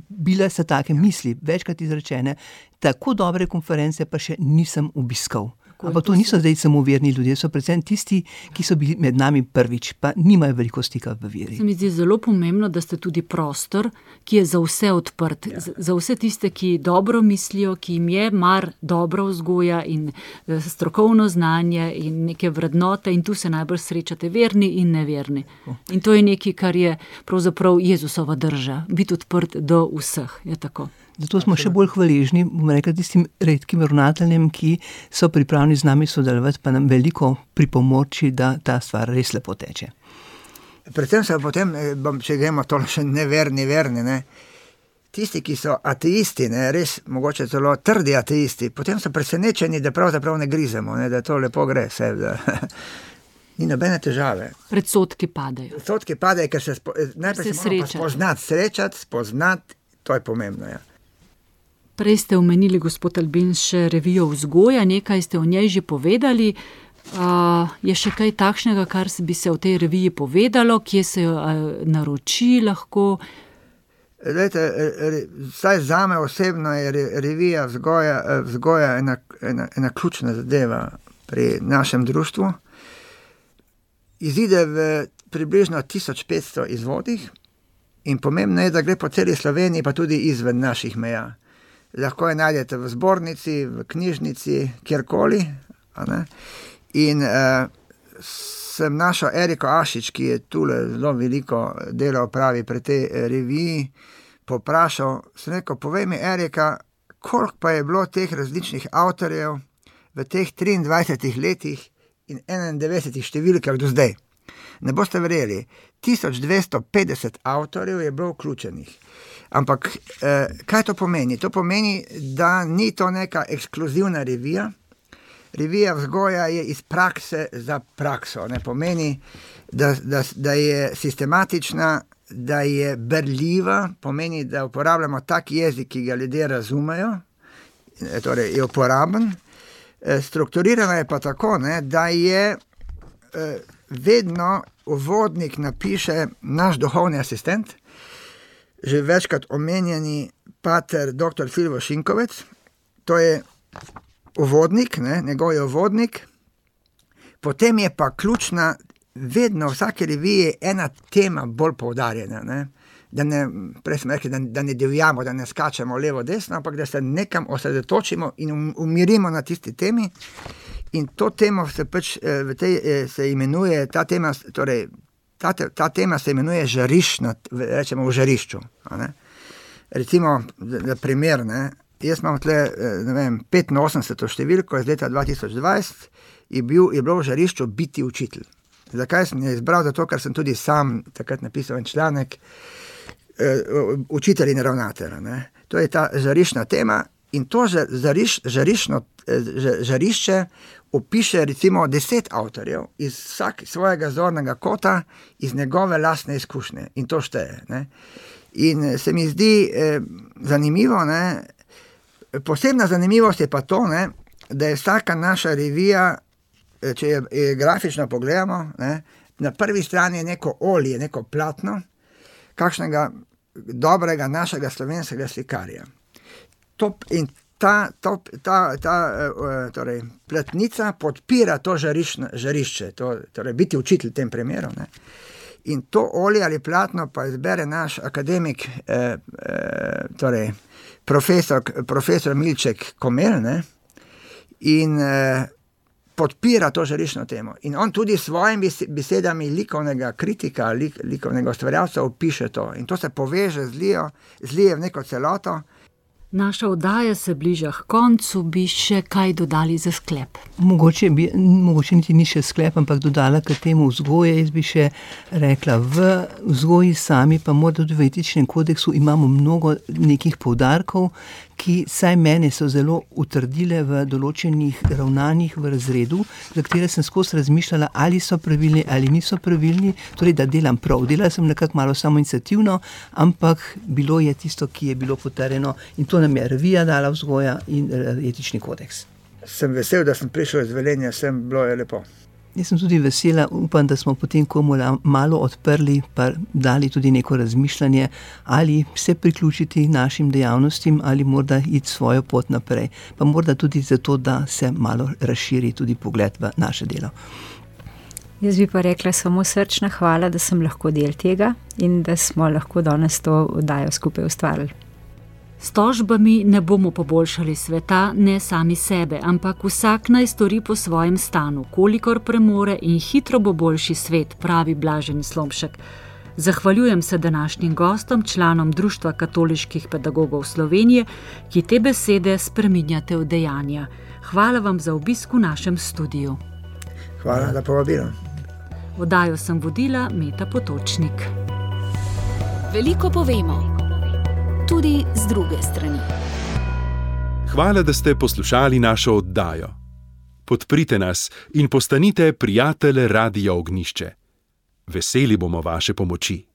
bile so take misli, večkrat izrečene, tako dobre konference pa še nisem obiskal. Ampak to niso zdaj samo verni ljudje, so predvsem tisti, ki so bili med nami prvič, pa nimajo veliko stika v veri. Se mi zdi zelo pomembno, da ste tudi prostor, ki je za vse odprt, za vse tiste, ki dobro mislijo, ki jim je mar dobra vzgoja in strokovno znanje in neke vrednote in tu se najbolj srečate verni in neverni. In to je nekaj, kar je pravzaprav Jezusova drža, biti odprt do vseh, je tako. Zato smo še bolj hvaležni, bom rekla, tistim redkim ravnateljem, ki so pripravljeni z nami sodelovati, pa nam veliko pripomoči, da ta stvar res lepo teče. Predvsem se potem, če gremo to še neverni, ne? Tisti, ki so ateisti, ne? Res mogoče celo trdi ateisti, potem so presenečeni, da pravzaprav ne grizemo, ne? Da to lepo gre vse, da ni nobene težave. Predsodki padejo. Predsodki padejo, ker najprej se moramo spoznati, to je pomembno, ja. Prej ste omenili, gospod Albin, še revijo Vzgoja, nekaj ste o njej že povedali. Je še kaj takšnega, kar bi se o tej reviji povedalo, kje se jo naroči lahko? Lejte, vsaj zame osebno je revija Vzgoja ena ključna zadeva pri našem društvu. Izide v približno 1500 izvodih in pomembno je, da gre po celi Sloveniji, pa tudi izven naših meja. Lahko je najdete v zbornici, v knjižnici, kjerkoli. In sem našel Eriko Ašič, ki je tule zelo veliko dela opravi pri tej reviji, poprašal, sem rekel, povej mi, Erika, koliko pa je bilo teh različnih avtorjev v teh 23 letih in 91 številkah do zdaj. Ne boste verjeli, 1250 avtorjev je bilo vključenih. Ampak kaj to pomeni? To pomeni, da ni to neka ekskluzivna revija. Revija Vzgoja je iz prakse za prakso. Ne pomeni, da je sistematična, da je berljiva, pomeni, da uporabljamo tak jezik, ki ga ljudje razumejo, torej je uporaben. Strukturirana je pa tako, ne, da je vedno uvodnik napiše naš duhovni asistent, že večkrat omenjeni pater dr. Filip Šinkovec, to je uvodnik, ne, njegov je uvodnik, potem je pa ključna, vedno v vsaki reviji ena tema bolj poudarjena, ne, prej smo rekli, da ne divjamo, da ne skačemo levo desno, ampak da se nekam osredotočimo in umirimo na tisti temi. In to temo se pač se imenuje, ta tema se imenuje žariščna, rečemo v žarišču. Recimo, za primer, ne, jaz imam tle, 85. številko iz leta 2020, je bilo v žarišču biti učitelj. Zakaj sem je izbral? Zato, ker sem tudi sam takrat napisal en članek učitelj in ravnatelj. To je ta žariščna tema in to žarišče opiše recimo 10 avtorjev iz vsak svojega zornega kota, iz njegove lastne izkušnje in to šteje. Ne? In se mi zdi zanimivo, ne? Posebna zanimivost je pa to, ne? Da je vsaka naša revija, če je grafično pogledamo, ne? Na prvi strani je neko olje, neko platno, kakšnega dobrega našega slovenskega slikarja. In ta torej, platnica podpira to žarišče, torej biti učitelj v tem primeru. Ne? In to olje ali platno pa izbere naš akademik, torej profesor Milček Komel, ne? In podpira to žariščno temo. In on tudi s svojimi besedami likovnega kritika, likovnega ustvarjalca opiše to. In to se poveže, zlije v neko celoto. Naša oddaja se bliža k koncu, bi še kaj dodali za sklep? Mogoče niti ni še sklep, ampak dodala k temu vzgoje. Jaz bi še rekla, v vzgoji sami, pa morda tudi v etičnem kodeksu imamo mnogo nekih poudarkov, ki saj mene so zelo utrdile v določenih ravnanjih v razredu, za katere sem skozi razmišljala, ali so pravilni ali niso pravilni, torej da delam prav. Delala sem nekako malo samoiniciativno, ampak bilo je tisto, ki je bilo potrjeno, in to nam je revija dala vzgoja in etični kodeks. Sem vesel, da sem prišel iz Velenja, bilo je lepo. Jaz sem tudi vesela, upam, da smo potem komu malo odprli, pa dali tudi neko razmišljanje, ali se priključiti našim dejavnostim, ali morda iti svojo pot naprej. Pa morda tudi zato, da se malo razširi tudi pogled v naše delo. Jaz bi pa rekla samo srčna hvala, da sem lahko del tega in da smo lahko danes to oddajo skupaj ustvarili. S tožbami ne bomo poboljšali sveta, ne sami sebe, ampak vsak naj stori po svojem stanu, kolikor premore, in hitro bo boljši svet, pravi Blažen Slomšek. Zahvaljujem se današnjim gostom, članom Društva katoliških pedagogov Slovenije, ki te besede spreminjate v dejanja. Hvala vam za obisk v našem studiu. Hvala, da povabilam. Oddajo sem vodila Meta Potočnik. Veliko povemo. Tudi z druge strani. Hvala, da ste poslušali našo oddajo. Podprite nas in postanite prijatelj Radia Ognjišče. Veseli bomo vaše pomoči.